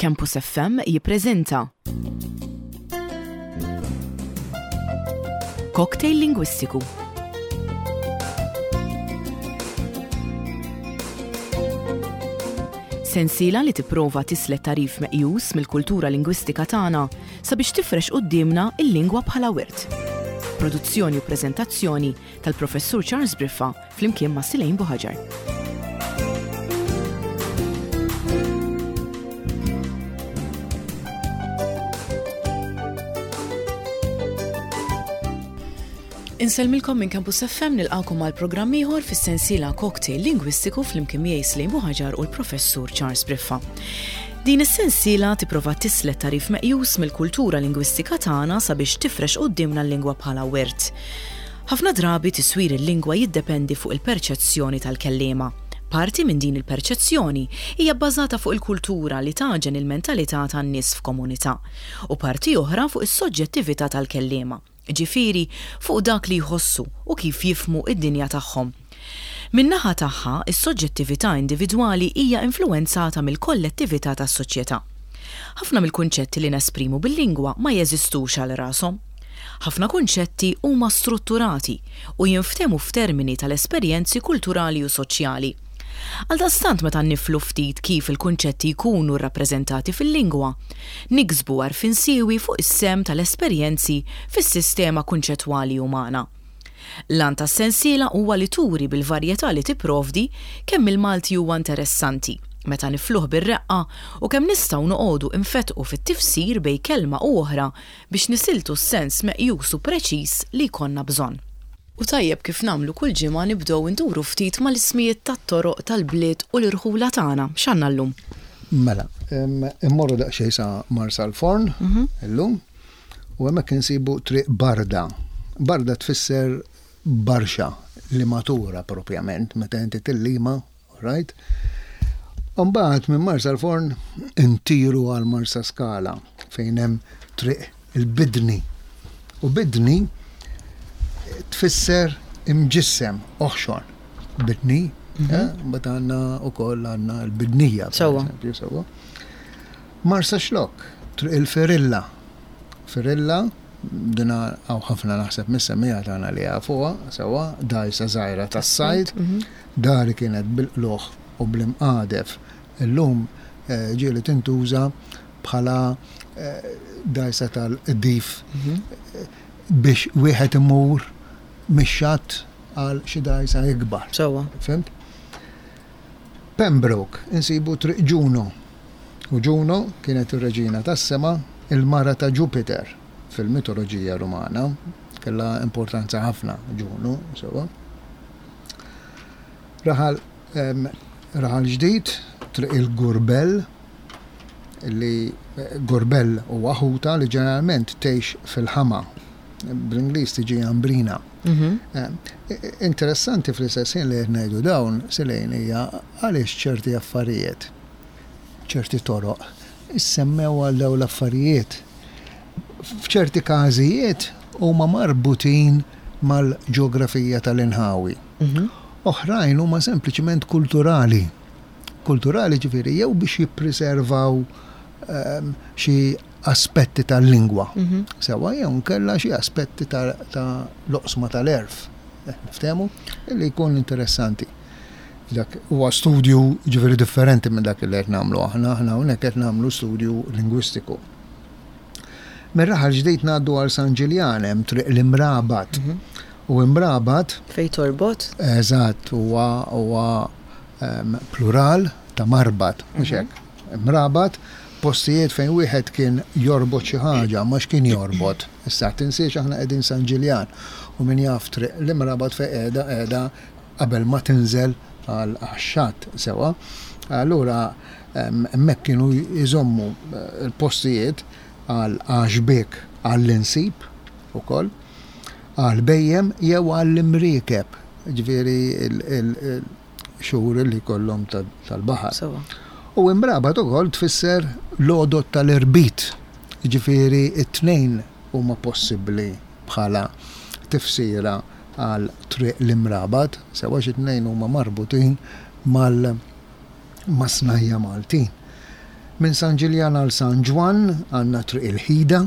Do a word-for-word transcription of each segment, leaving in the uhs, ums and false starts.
Campus F M jippreżenta Cocktail Lingwistiku. Sensiela li tipprova tislet tagħrif meqjus mill-kultura lingwistika tagħna sabiex tifrex quddiemna il-lingwa bħala wirt. Produzzjoni u preżentazzjoni tal-Professur Charles Briffa flimkien ma' Silejn Buħaġar. Insellmilkom minn Campus F M, nilqakom għal programm ieħor fis-sensiela Cocktail Lingwistiku flimkien miegħi Slejn Buħaġar u l-Professur Charles Briffa. Din is-sensiela tipprova tislet tagħrif meqjus mill-kultura lingwistika tagħna sabiex tifrex quddiemna l-lingwa bħala wirt. Ħafna drabi tiswir il-lingwa jiddependi fuq il-perċezzjoni tal-kellima. Parti minn din il-perċezzjoni hija bbażata fuq il-kultura li taġen il-mentalità tan-nies f'komunità u parti oħra fuq is-soġġettività tal-kellima, ġifieri fuq dak li jħossu u kif jifhmu id-dinja tagħhom. Min-naħa tagħha, is-soġġettività individwali hija influwenzata mill-kollettività tas-soċjetà. Ħafna mill-kunċetti li nesprimu bil-lingwa ma jeżistux għal rashom. Ħafna kunċetti huma strutturati u jinftehmu f'termini tal-esperjenzi kulturali u soċjali. Għaldaqstant, meta niflu ftit kif il-kunċetti jkunu rrappreżentati fil-lingwa, niksbu għarfien siewi fuq is-sehem tal-esperjenzi fis-sistema kunċettwali umana. L-għan tas-sensiela huwa li turi bil-varjetà li tipprovdi kemm il-Malti huwa interessanti meta nifluh bir-reqqa u kemm nistgħu noqogħdu infetqu fit-tifsir bejn kelma u oħra biex nisiltu s-sens meqjus u preċiż li jkollna bżonn. U tajjeb, kif nagħmlu kull ġimgħa, nibdew induru ftit mal-ismijiet tat-toroq tal-bliet u l-irħula tagħna. X'għandna llum? Mela, immorru daqsxejn sa Marsalforn illum u hemmhekk insibu Triq Barda. Barda tfisser barxa li matura propjament, meta inti tillima, right? Mbagħad minn Marsalforn intiru għal Marsa Skala fejn hemm Triq il-Bidni. U bidni tfisser imġissem, oħxon. Bidni, eh, mbagħad għandna wkoll għandna l-bidnija. Per Sewwa. eżempju, sewwa. Marsaxlokk, Triq il-Ferilla. Ferilla, dina hawn ħafna naħseb mis-semmiegħa tagħna li jafuha, sewwa, dgħajsa żgħira tas-sajd, dari kienet bil-qluħ u bl-imqadef. Illum eh, ġieli tintuża bħala eh, dgħajsa tal-qdif biex wieħed imur mix-xatt għal xi dgħajsa ikbar. Sewwa. Fhimt? Pembroke, insibu Triq Ġuno. U Ġuno kienet ir-reġina tas-sema, il-mara ta' Jupiter fil-mitoloġija Rumana. Kella importanza ħafna Ġuno, sewwa. Raħal, em, raħal Ġdid, Triq il-Gurbell, li eh, Gurbell huwa ħuta li ġeneralment tgħix fil-ħama. Bl-Ingliż tiġi ambrina. Eh, Interessanti fl-istess ħin li qed ngħidu dawn, Silejn, hija għaliex ċerti affarijiet, ċerti toroq, issemmew għal dawn l-affarijiet. F'ċerti każijiet huma marbutin mal-ġeografija tal-inħawi. Oħrajn huma sempliċiment kulturali. Kulturali ġifieri jew biex jippreservaw ehm, xi aspetti tal-lingwa. Sewwa, jew nkella xi aspetti ta' ta' l-oqsma tal-għerf. Eh, Niftehmu? Illi jkun interessanti. Dak huwa studju ġifieri differenti minn dak li qed nagħmlu aħna, aħna hawnhekk qed nagħmlu studju lingwistiku. Mir-Raħal Ġdid ngħaddu għal San Ġiljan, hemm Triq l-Imrabat. U Imrabat Fej torbot? Eżatt, huwa huwa em, plural ta' marbat, mhux hekk? Imrabat, postijiet fejn wieħed kien jorbot xi ħaġa, ma x'kien jorbot. Issa tinsiex aħna qegħdin San Ġiljan u min jaf Triq l-Imrabat fejn qiegħda, qiegħda qabel ma tinżel għal għax-xatt, sewwa. Allura em, hemmhekk kienu jżommu eh, il-postijiet għal għaxbek, għall-insib ukoll, għal bhejjem jew għall-imriekeb, ġifieri il-xhur li kollhom tal-baħar. Sewwa. U imrabat ukoll tfisser l-għodod tal-irbit, ġifieri it-tnejn huma possibbli bħala tifsira għal Triq l-Imrabat, sewwa, xi tnejn huma marbutin mal mas-snajja Maltin. Minn San Ġiljan għal San Ġwann għandna Triq il-Ħida.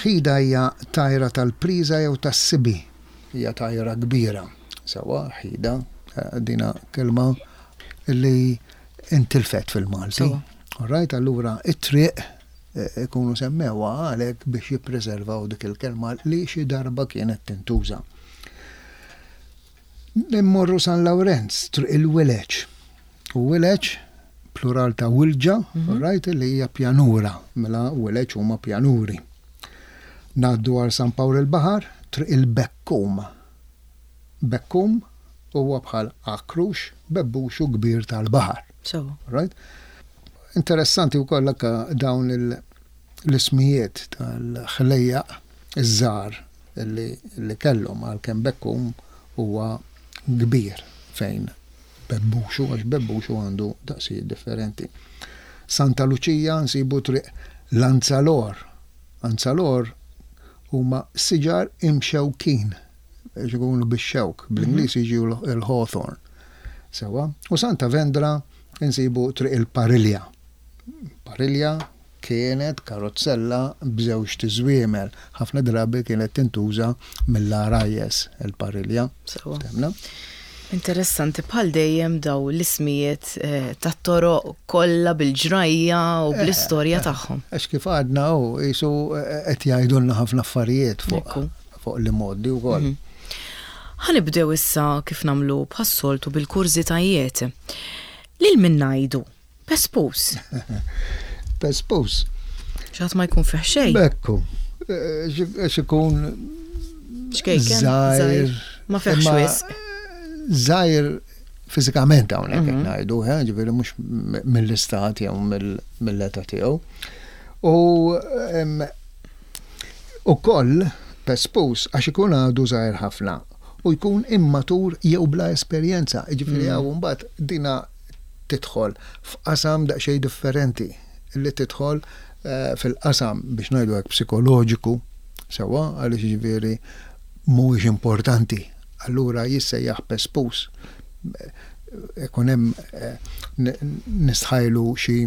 Ħida hija tajra tal-priża jew tas-sibi. Hija tajra kbira. Sewwa, ħida, dina kelma li intilfet fil-Malti. All right, allura it-triq ikunu semmewha għalhekk biex jippreservaw dik il-kelma li xi darba kienet tintuża. Immorru San Lawrenz, Triq il-Wileġ. U wileġ, plural ta' wilġa, all right, li hija pjanura, mela wileġ huma pjanuri. Ngħaddu għal San Pawl il-Baħar, Triq il-Bekkum. Bekkum huwa bħal akrux, bebbuxu kbir tal-baħar. Sewwa. Right? Interessanti wkoll anke dawn l-ismijiet tal-ħlejjaq iż-żgħar li, li kellhom, għalkemm bekkum huwa kbir fejn bebbuxu, għax bebbuxu għandu daqsijiet differenti. Santa Luċija nsibu Triq l-Anzalor. Anzalor huma siġar imxewkin, ikunu bix-xewk, bl-Ingliż jiġu il-hawthorn. Sewwa, u Santa Vendra nsibu Triq il-Parilja. Parilja kienet karozzella b'żewġ tiżwiemel. Ħafna drabi kienet tintuża mill-għarajjes il-parilja. Sewwa. Ftemna? Interessanti bħal dejjem daw l-ismijiet eh, tat-toroq kollha bil-ġrajja u bl-istorja tagħhom. Għax kif għadna u jisu qed jgħidulna ħafna affarijiet fuq Ekku. fuq l-modi wkoll. Ħa nibdew issa kif nagħmlu bħas-soltu bil-kurżitajiet. Lil min ngħidu? Pespus. Pespus. Xi ħadd ma jkun fih xejn. Bekku. Għax ikun Xkejken, żgħir. Ma fihx imma wisq. Żgħir fiżikament hawnhekk qed Mhm. ngħidu, eh, ġifieri mhux mill-istat jew mill-età tiegħu. U em, ukoll pespus għax ikun għadu żgħir ħafna u jkun immatur jew bla esperjenza. Ġifieri Mm. hawn mbagħad dina tidħol f'qasam daqsxejn differenti li tidħol eh, fil-qasam biex ngħidu hekk psikoloġiku sewwa, għaliex ġifieri mhuwiex importanti. Allura jissejjaħ pespus. Ikun hemm eh, nistħajlu xi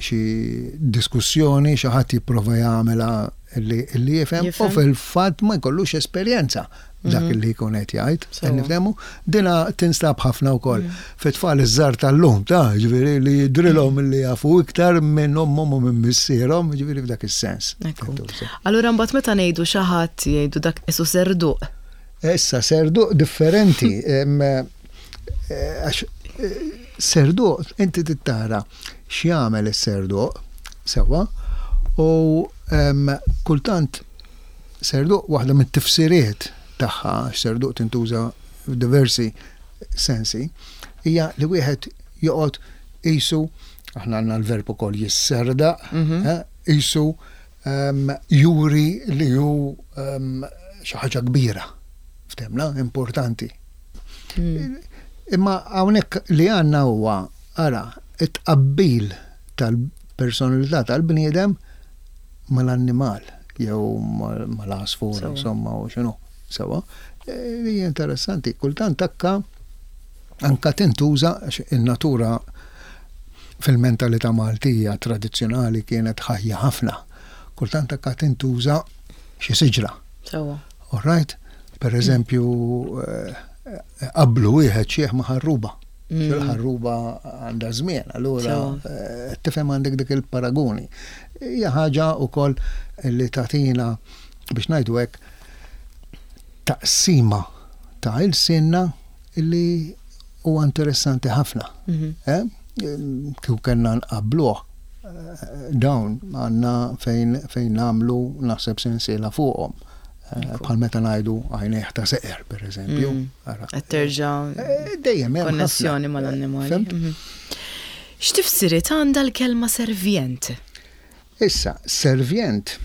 xi diskussjoni, xi ħadd jipprova jagħmilha li li jifhem u Jifhem. fil-fatt ma jkollux esperjenza dak Mhm. li jkun qed jgħid. Sewwa. Nifhemu, dina tinstab ħafna wkoll fit-tfal iż-żgħar tal-lum, ta' ġifieri li jidrilhom li jafu iktar minn ommhom u minn missierhom, ġifieri f'dak is-sens. Ekku. Allura mbagħad meta ngħidu xi ħadd jgħidu dak isu serduq. Issa serduq differenti. em, eh, Għax eh, serduq inti tittara x'jagħmel is-serduq sewwa u em, kultant serduq waħda mit-tifsiriet tagħha, għax serduq tintuża f'diversi sensi, hija li wieħed joqgħod qisu, aħna għandna l-verb ukoll jisserdaq, Mhm. eh, qisu em, juri li hu em, xi ħaġa kbira, ftemna, importanti. Mm. Imma hawnhekk li għandna huwa ara it-tqabbil tal-personalità tal-bniedem mal-annimal jew mal- mal-għasfur, Sewwa. insomma, u x'inhu. Sewwa. E, Li hija interessanti, kultant akka anka tintuża għax in-natura fil-mentalità Maltija tradizzjonali kienet ħajja ħafna. Kultant akka tintuża xi siġra. Sewwa. All right? Per eżempju, eh, qablu wieħed xieħ ma' ħarruba. Mm. Il-ħarruba għandha żmien, allura Sewwa. eh, tifhem għandek dik il-paragoni. Hija ħaġa wkoll li tagħtina biex ngħidu hekk taqsima ta' ilsienna illi huwa interessanti ħafna. Mhm. Eh? Kieku kellna nqabbluh eh, dawn għandna fejn fejn nagħmlu naħseb sensiela fuqhom. Eh, Ekku. Bħal meta ngħidu għajnejh ta' seqer, per eżempju. Mm. Ara. Qed terġa' Eh, Dejjem hemm ħafna. konnessjoni mal-annimali. Fhimt? Mhm. X'tifsiriet għandha l-kelma servjent? Issa, servjent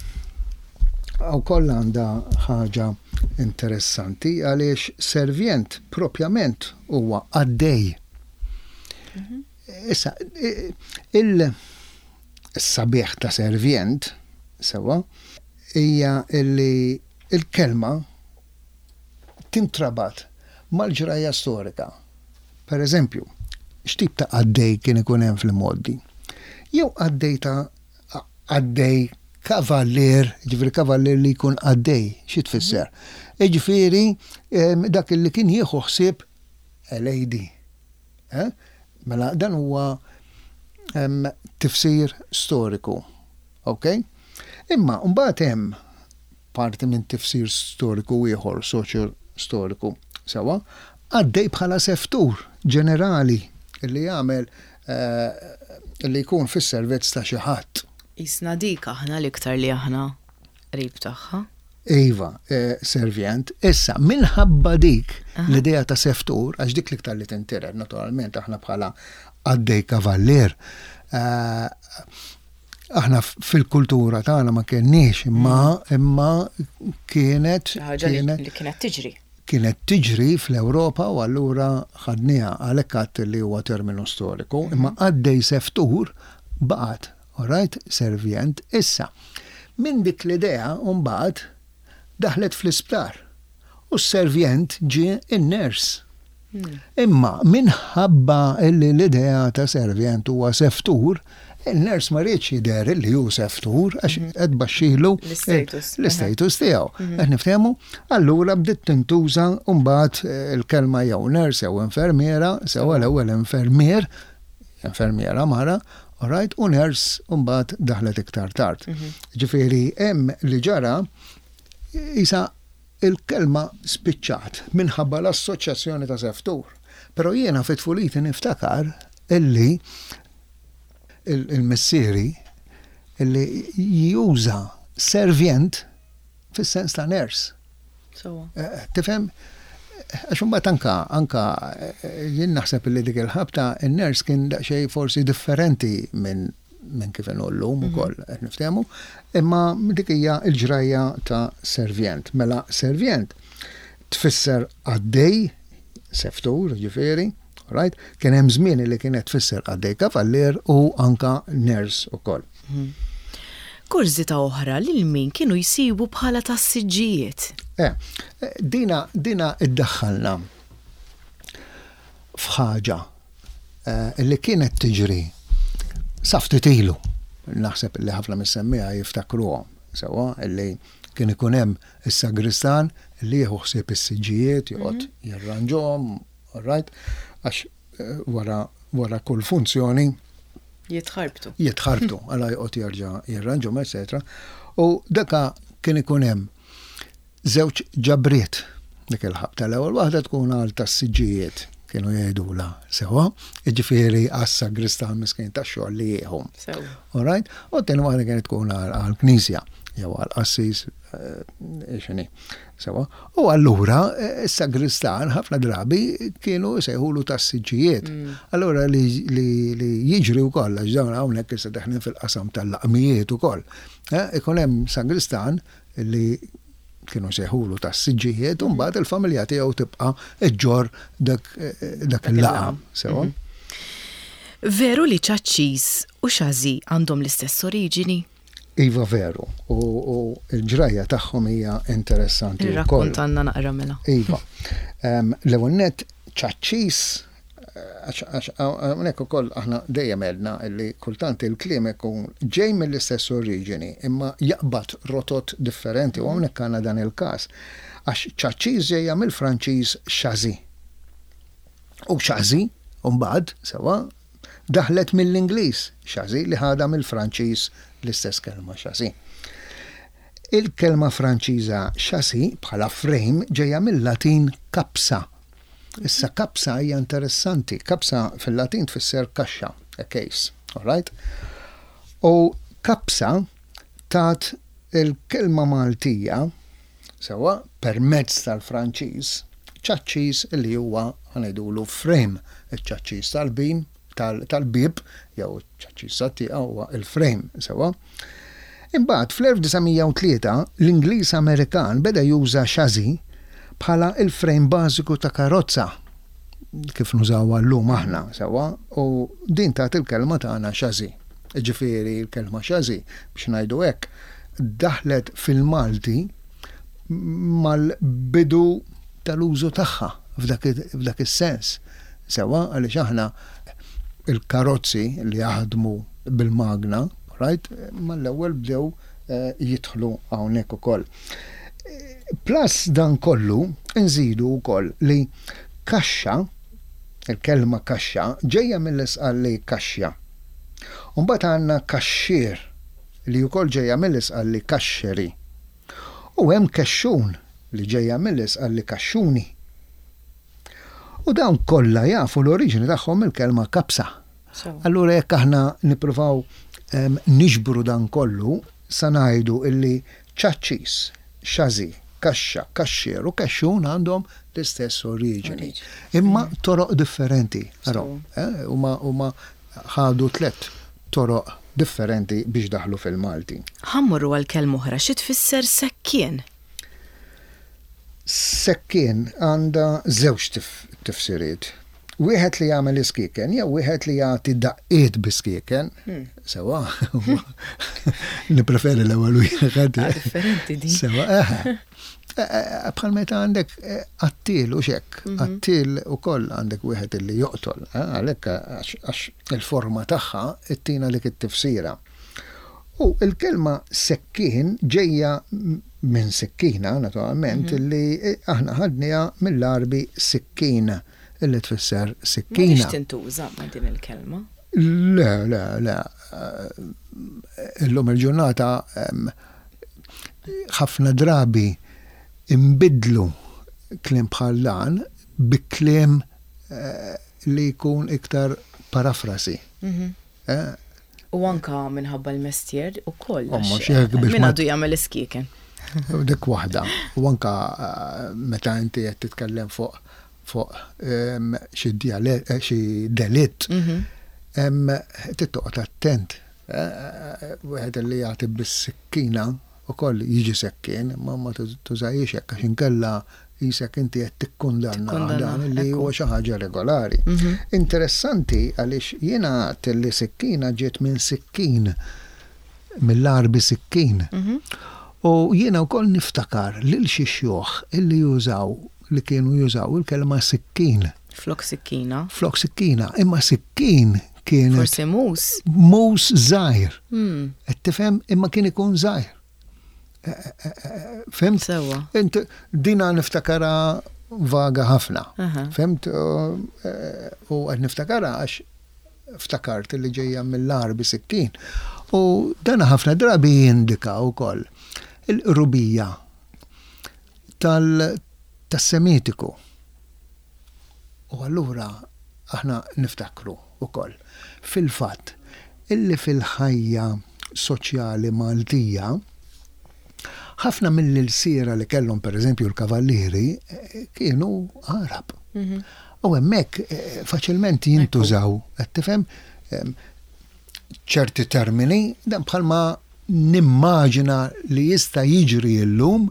wkoll għandha ħaġa interessanti għaliex servjent propjament huwa qaddej. Issa, i- il-sabiħ ta' servjent, sewwa, hija illi il-kelma tintrabat mal-ġrajja storika. Per eżempju, x'tip ta' qaddej kien ikun hemm fil-modi? Jew qaddej ta' qaddej kavallier, ġifieri kavallier li jkun qaddej, xi tfisser? Ġifieri dak li kien jieħu ħsieb a lady. Eh? Mela dan huwa tifsir storiku. Ok? Imma mbagħad hemm parti minn tifsir storiku ieħor, soċjo storiku, sewa, qaddej bħala seftur ġenerali li jagħmel eh, li jkun fis-servizz ta' xi ħadd. Isna dik aħna l-iktar li aħna qrib tagħha. Iva, eh, servjent. Issa, minħabba dik l-idea ta' seftur, għax dik l-iktar li tintiret, naturalment, aħna bħala qaddej kavallier, eh, aħna fil-kultura tagħna ma kenniex, imma mm. imma kienet kienet li kienet tiġri. Kienet tiġri fl-Ewropa u allura ħadniha, għalhekk għadt li huwa terminu storiku, imma mm. qaddej seftur baqgħet, alright, servjent. Issa, minn dik l-idea mbagħad daħlet fl-isptar u s-servjent ġie in-nurse. Hmm. Imma minħabba illi l-idea ta' servjent huwa seftur, il-nurse ma riedx jidher li hu seftur għax mhm. qed baxxilu l-istatus tiegħu. Mhm. Qed niftehmu? Allura bdiet tintuża mbagħad eh, il-kelma jew nurse jew infermiera, sewa l-ewwel infermier, infermiera mara, alright, u nurse mbagħad daħlet iktar tard. Mhm. Ġifieri hemm li ġara isa il-kelma spiċċat minħabba l-assoċjazzjoni ta' seftur. Però jiena fit tfuliti niftakar illi il-missieri illi juża servjent fis-sens ta' nurse. Eh, tifhem? Għax imbagħad anka anka eh, jien naħseb li dik il-ħabta in-nurse kien daqsxejn forsi differenti minn minn kif inhu llum mhm. ukoll qed niftehmu, imma dik hija l-ġrajja ta' servjent. Mela servjent tfisser qaddej, seftur, ġifieri, right? Kien hemm żmien li kienet tfisser qaddej kavallier u anka nurse ukoll. Mhm. Kurżità oħra, lil min kienu jsibu bħala tas-siġġijiet? Eh, dina dina iddaħħalna f'ħaġa eh, li kienet tiġri sa ftit ilu. Naħseb li ħafna mis-semmiegħa jiftakruha sewwa illi kien ikun hemm is-sagristan li jieħu ħsieb is-siġġijiet, joqgħod mhm. jirranġhom, all right? Għax eh, wara wara kull funzjoni jitħarbtu. Jitħarbtu, għala joqgħod jerġa' jirranġhom, eċetera. U daka kien ikun hemm żewġ ġabriet dik il-ħabta. L-ewwel waħda tkun għal tas-siġġijiet kienu jgħidula sewa, jiġifieri għas-sagristan miskin tax-xogħol li jieħu. All right? U t-tieni waħda kienet tkun għall-knisja jew għall-qassis eh, x'inhi. Sewa. U allura eh, is-sagristan ħafna drabi kienu jsejħulu tas-siġġijiet. Mm. Allura li, li, li jiġri wkoll għax dawn hawnhekk issa deħlin fil-qasam tal-laqmijiet ukoll. Eh, ikun hemm sagristan li kienu jsejħulu tas-siġġijiet u mbagħad il-familja tiegħu tibqa' iġġorr dak, eh, dak il-laqam. Sewa. Mhm. Veru li ċaċċis u xażi għandhom l-istess oriġini? Iva veru, u, u l-ġrajja tagħhom hija interessanti wkoll. Irrakkontanna naqra mela. Iva. Em, L-ewwel nett ċaċċis għax għax hawnhekk ukoll aħna dejjem għedna li kultant il-kliem ikun ġej mill-istess oriġini imma jaqbad rotot differenti u hawnhekk għandna dan il-każ. Għax ċaċċis ġejja mill-Franċiż châssis. U chassis, mbagħad, sewa, daħlet mill-Ingliż chassis li ħadha mill-Franċiż l-istess kelma chassis. Il-kelma Franċiża chassis bħala frame ġejja mill-Latin capsa. Issa kapsa hija interessanti. Kapsa fil-Latin tfisser kaxxa, a case, all right? U kapsa tat il-kelma Maltija sewa permezz tal-Franċiż ċaċċis li huwa ħa ngħidulu frame, iċ-ċaċċis tal-bin tal-bieb jew ċaċċis tat-tieqa huwa il-frame sewa. Imbagħad fl-elf disa' mija u tlieta l-Ingliż Amerikan beda juża chassis bħala il-frame bażiku ta' karozza kif nużawha llum aħna sewwa u din tat il-kelma tagħna chassis. Ġifieri l-kelma chassis biex ngħidu hekk daħlet fil-Malti mal-bidu tal-użu tagħha f'dak is-sens. Sewwa għaliex aħna il-karozzi li jaħdmu bil-magna, right? Mal-ewwel bdew eh, jidħlu hawnhekk ukoll. Plus dan kollu, nżidu wkoll li kaxxa, il-kelma kaxxa, ġejja mill-Isqalli kaxxa. Mbagħad għandna kaxxier li wkoll ġejja mill-Isqalli kaxxeri. U hemm kexxun li ġejja mill-Isqalli kaxxuni. U dawn kollha jafu l-oriġini tagħhom mill-kelma kapsa. Allura jekk aħna nippruvaw em, niġbru dan kollu, sa ngħidu illi ċaċċis, xażi, kaxxa, kaxxier u kexxun għandhom l-istess oriġini. Imma toroq differenti. Araw, eh, huma huma ħadu tlet toroq differenti biex daħlu fil-Malti. Ħa mmorru għal kelma oħra, xi tfisser sekkien? Sekkien għandha żewġ tif tifsiriet. Wieħed li jagħmel iskieken jew wieħed li jagħti daqqiet bi-skieken. Sewa, nippreferi l-ewwel wieħed. Ah, differenti din. Sewa, eħe. Eh, eh, Bħal meta għandek eh, qattil u xek, qattil ukoll għandek wieħed li joqtol, eh, għalhekk għax għax il-forma tagħha ittina dik it-tifsira. U il-kelma sekkin ġejja m- minn sikkina, naturalment, li aħna ħadniha mill-Għarbi sikkina, illi tfisser sikkina. M'għadhiex tintuża ma' din il-kelma. Le, le, le. Eh, Illum il-ġurnata em, ħafna drabi imbidlu kliem bħal dan bi kliem eh, li jkun iktar parafrasi. Eh, U anka minħabba l-mestier u koll. Oh, mhux hekk biex Min ma- għadu jagħmel iskieken. Dik waħda. U anka eh, meta inti qed titkellem fuq fuq em, xi dialett, eh, xi delitt, em, trid toqgħod attent. Eh, eh, Wieħed li jagħti bis-sikkina ukoll jiġi sekkin, ma ma tużahiex hekk għax inkella qisek inti qed tikkundanna Tikkundanna, dan li ekku. huwa xi ħaġa regolari. Interessanti għaliex jiena għedt li sikkina ġiet minn sikkin, mill-Għarbi sikkin. U jiena wkoll niftakar lil xi xjuħ illi jużaw li kienu jużaw il-kelma sikkin, Flok sikkina. Flok sikkina, imma sikkin kienet Forsi mus. mus żgħir. Hmm, Qed tifhem, imma kien ikun żgħir. Eh, eh, eh, Fhimt? Sewa. Int dina niftakara vaga ħafna. Aha. Fhimt? U eh, u qed niftakara għax ftakart li ġejja mill-Għarbi sikkin. U dana ħafna drabi jindika wkoll il-qrubija tal tas-Semitiku. U allura aħna niftakru ukoll fil-fatt illi fil-ħajja soċjali Maltija ħafna mill-ilsiera li kellhom, per eżempju, l-kavallieri eh, kienu Għarab. U hemmhekk eh, faċilment jintużaw, qed tifhem, em, ċerti termini, dan bħalma nimmaġina li jista' jiġri llum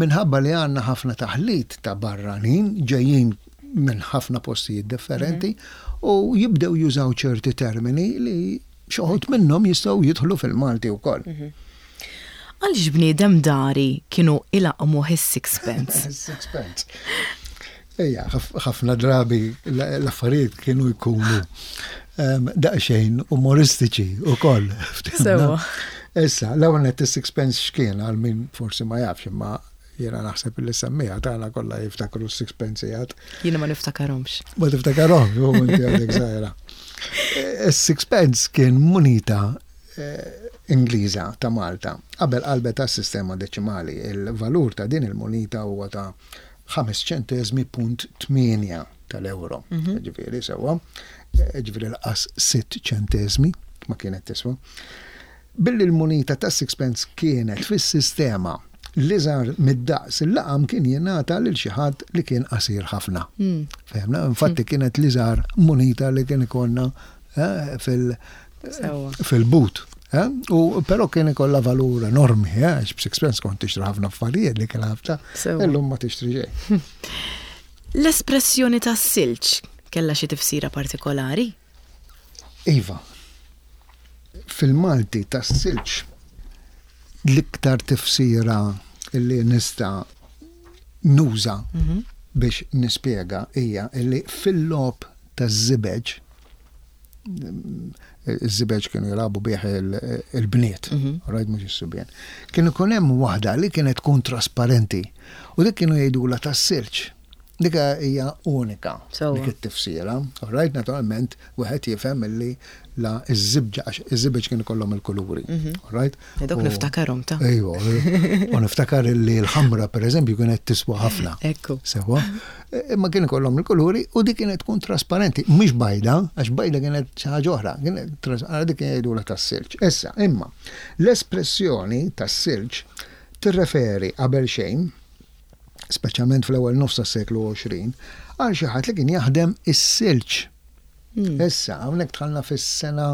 minħabba li għandna ħafna taħlit ta' barranin ġejjin minn ħafna postijiet differenti u jibdew jużaw ċerti termini li xi wħud minnhom jistgħu jidħlu fil-Malti wkoll. Għaliex bniedem dari kienu ilaqqmuh is-sixpence? Sixpence. Ejja, ħaf- ħafna drabi l- l-affarijiet kienu jkunu em, daqsxejn umoristiċi u koll. Sewa. Issa, l-ewwel nett, is-sixpence x'kien, għal min forsi ma jafx, imma jiena naħseb li semmiha tagħna kollha jiftakru s-sixpence jgħad. Jiena ma niftakarhomx. Ma tiftakarhom, jew inti għadek żgħira. Is-sixpence kien munita eh, Ingliża ta' Malta. Qabel qalbet tas-sistema deċimali, il-valur ta' din il-munita huwa ta' ħames ċentesmi punt tmienja tal-euro. Ġifieri sewa, eh, ġifieri lanqas sitt ċentesmi ma kienet tiswa. Billi l-munita ta' sixpence kienet fis-sistema l-iżgħar mid-daqs, il-laqam kien jingħata lil xi ħadd li kien qasir ħafna. Fehmna, infatti kienet l-iżgħar munita li kien ikollna eh, fil- Sewa. fil-but. Eh? U però kien ikollha valur enormi, eh? Għax b'sixpence kont tixtri ħafna affarijiet li kien ħafna, Sewa. illum ma tixtri xejn. L-espressjoni tas-silġ kellha xi tifsira partikolari? Iva, fil-Malti tas-silġ l-iktar tifsira illi nista' nuża biex nispjega hija illi fil-logħob taż-żibeġ Iż-żibeġ kienu jilagħbu bih il-bniet, right, mhux is-subien. Kien ikun hemm waħda li kienet tkun trasparenti u dik kienu jgħidulha tas-silġ. Dik hija unika dik it-tifsira. Right, naturalment, wieħed jifhem illi la iż-żibġa, għax iż-żibeġ kienu kollhom il-kuluri. Right? Dok niftakarhom ta'. Ejwa, u niftakar illi l-ħamra pereżempju kienet tiswa ħafna. Ekku. Sewa. Imma kienu kollhom il-kuluri u dik kienet tkun trasparenti, mhux bajda, għax bajda kienet xi ħaġa oħra, kienet dik kien jgħidulha tas-silġ. Issa, imma l-espressjoni tas-silġ tirreferi qabel xejn, speċjalment fl-ewwel nofs tas-seklu għoxrin, għal xi ħadd li kien jaħdem is-silġ. Issa, hawnhekk dħalna fis-sena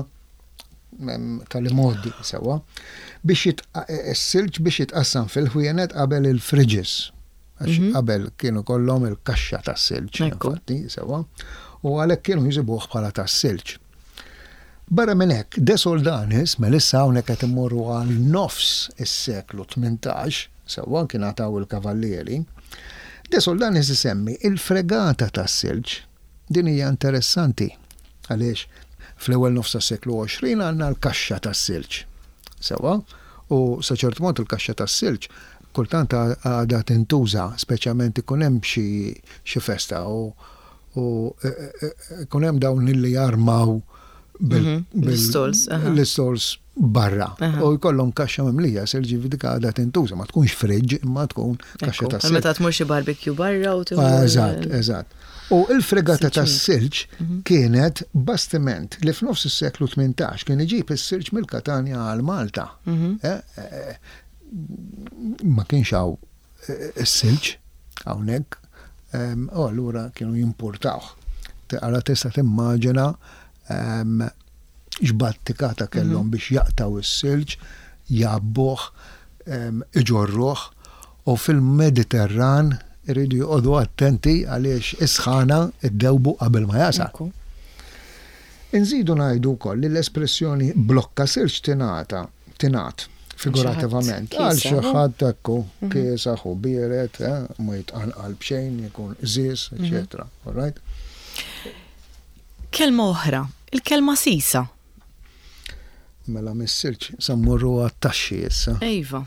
tal-imgħoddi sewwa, biex is-silġ biex jitqassam fil-ħwienet qabel il-fridges. Għax qabel kienu kollhom il-kaxxa tas-silġ, infatti, sewwa, u għalhekk kienu jsibuh bħala tas-silġ. Barra minn hekk, De Soldanis, melissa hawnhekk qed immorru għal nofs is-seklu tmintax, sewwa kien għataw il-kavallieri, De Soldanis isemmi il-fregata tas-silġ. Din hija interessanti għaliex fl-ewwel nofs tas-seklu għoxrin għandna l-kaxxa tas-silġ. Sewwa, u sa ċertu mod il-kaxxa tas-silġ kultant għadha tintuża, speċjalment ikun hemm xi festa u ikun hemm dawn illi jarmaw l-istols l-istols barra. U jkollhom kaxxa mimlija silġ, dik għadha tintuża, ma tkunx friġġ imma tkun kaxxa tas-silġ. Meta tmur xi barbecue barra u tieħu. Eżatt, eżatt. U il-fregata tas-silġ kienet bastiment li f'nofs is-seklu tmintax kien iġib is-silġ mill-Katanja għal Malta. Ma kienx hawn is-silġ hawnhekk, u allura kienu jimpurtawh. Allura tista' timmaġina x'battikata kellhom biex jaqtaw is-silġ, jgħabbuh, iġorruh, u fil-Mediterran iridu joqogħdu attenti għaliex is-sħana ddewbu qabel ma jasal. Inżidu ngħidu wkoll li l-espressjoni blokka silġ tingħata tingħat figurativament għal xi ħadd ekku kiesaħ u biered, ma jitqanqal b'xejn, jkun qżież, eċetera. All right? Kelma oħra, il-kelma sisa. Mela mis-silġ sa mmorru għat-taxxi issa. Ejva.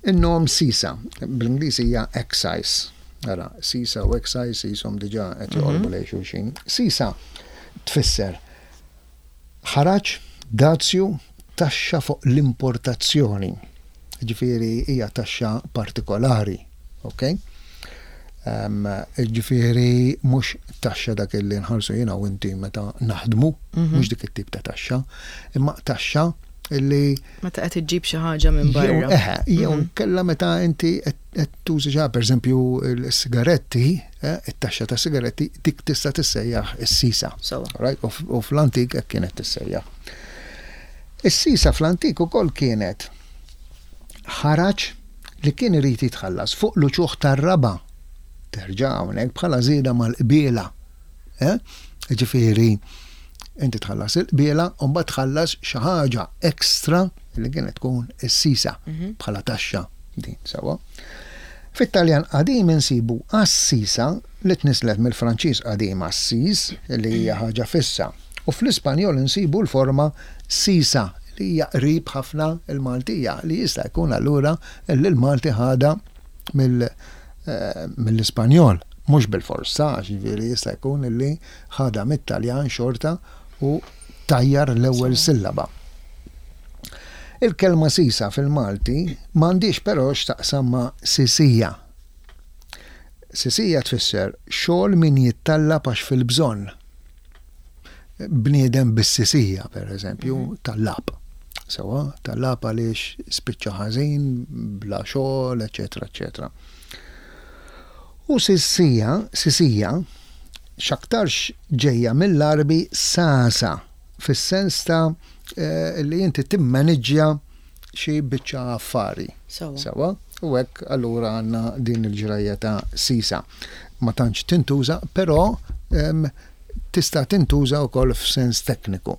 In-nom sisa, bl-Ingliż hija excise. Ara, sisa u excise jisom diġà qed joqorbu lejn xulxin. Sisa tfisser ħaraġ, dazju, taxxa fuq l-importazzjoni. Ġifieri hija taxxa partikolari, ok? Ġifieri mhux taxxa dak li nħallsu jiena u inti meta naħdmu, mhux dik it-tip ta' taxxa, imma taxxa illi meta qed iġġib xi ħaġa minn barra. Eħe, jew kella meta inti qed tużi xi pereżempju l-sigaretti, it-taxxa ta' sigaretti dik tista' tissejjaħ is-sisa. Right? U fl-antik hekk kienet tissejjaħ. Is-sisa fl-antik ukoll kienet ħaraġ li kien irid jitħallas fuq l-uċuħ tar-raba'. Terġa' hawnhekk bħala żieda mal-qbiela. Ġifieri inti tħallas il-qbiela u mbagħad tħallas xi ħaġa ekstra li kienet tkun is-sisa bħala taxxa din sewwa. Fit-Taljan qadim insibu assisa li tnislet mill-Franċiż qadim assis li hija ħaġa fissa. U fl-Ispanjol insibu l-forma sisa li hija qrib ħafna il-Maltija li jista' jkun allura li l-Malti ħada mill-Ispanjol, mhux bil-forza, ġifieri jista' jkun li ħada mit-Taljan xorta u tajjar l-ewwel sillaba. Il-kelma sisa fil-Malti m'għandix però x'taqsam ma' sisija. Sisija tfisser xogħol min jittallab għax fil-bżonn. Bniedem bis-sisija, per eżempju, tallab. Sewa, tallab għaliex spiċċa ħażin, bla xogħol, eċetera, eċetera. U sisija, sisija, x'aktarx ġejja mill-Arbi sasa, fis-sens ta' li inti timmaniġġja xi biċċa affari. Sewa, u hekk allura għandna din il-ġrajja ta' sisa. Ma tantx tintuża, però tista' tintuża wkoll f'sens tekniku.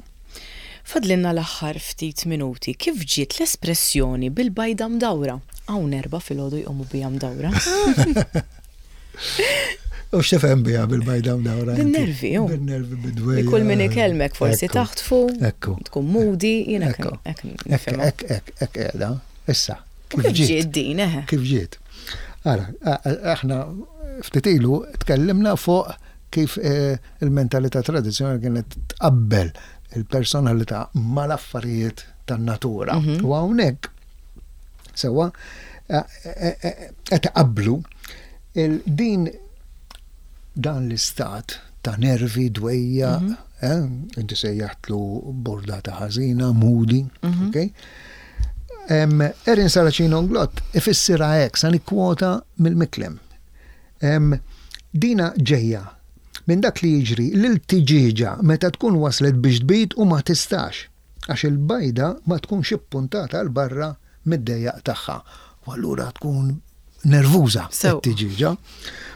Fadlinna l-aħħar ftit minuti, kif ġiet l-espressjoni bil-bajda mdawra? Hawn erba' filgħodu jqumu bija mdawra. U x'tifhem biha bil-bajda mdawra? Bin-nervi, ju. Bin-nervi, bid-dwejjaq. Kull min ikellmek forsi taħtfu, tkun moody, jiena hekk hekk hekk hekk qiegħda. Issa. Kif ġiet din, eħe? Kif ġiet? Ara, aħna ftit ilu tkellimna fuq kif eh, il-mentalità tradizzjonali kienet tqabbel il-personalità mal-affarijiet tan-natura. Mhm. U hawnhekk sewwa eh, eh, qed qablu din dan l-istat ta' nervi, dwejjaq, mm -hmm. inti sejjaħtlu burdata ħażina, moody, mm -hmm. okay? Um, Erin Saracino Inglott ifissirha hekk, sa nikkwota mill-Micklem. Um, dina ġejja minn dak li jiġri lil tiġieġa meta tkun waslet biex tbid u ma tistax, għax il-bajda ma tkunx ippuntata 'l barra mid-dejjaq tagħha. U allura tkun nervuża t-tiġieġa.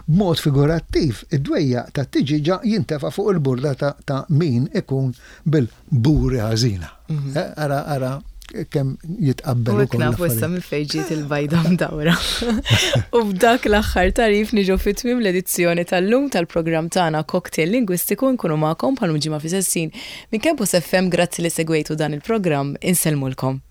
B'mod figurattiv, id-dwejjaq ta' tiġieġa jintefa' fuq il-burdata ta' min ikun bil-buri ħażina. Mhm. Eh, ara, ara, kemm jitqabbel. U nafu issa minn fejn ġiet il-bajda mdawra. U b'dak l-aħħar tagħrif niġu fi tmiem l-edizzjoni tal-lum tal-programm tagħna Cocktail Lingwistiku. Nkunu magħkom bħal ġimgħa fi sessin minn Campus F M. Grazzi li segwejtu dan il-programm. Insellmulkom.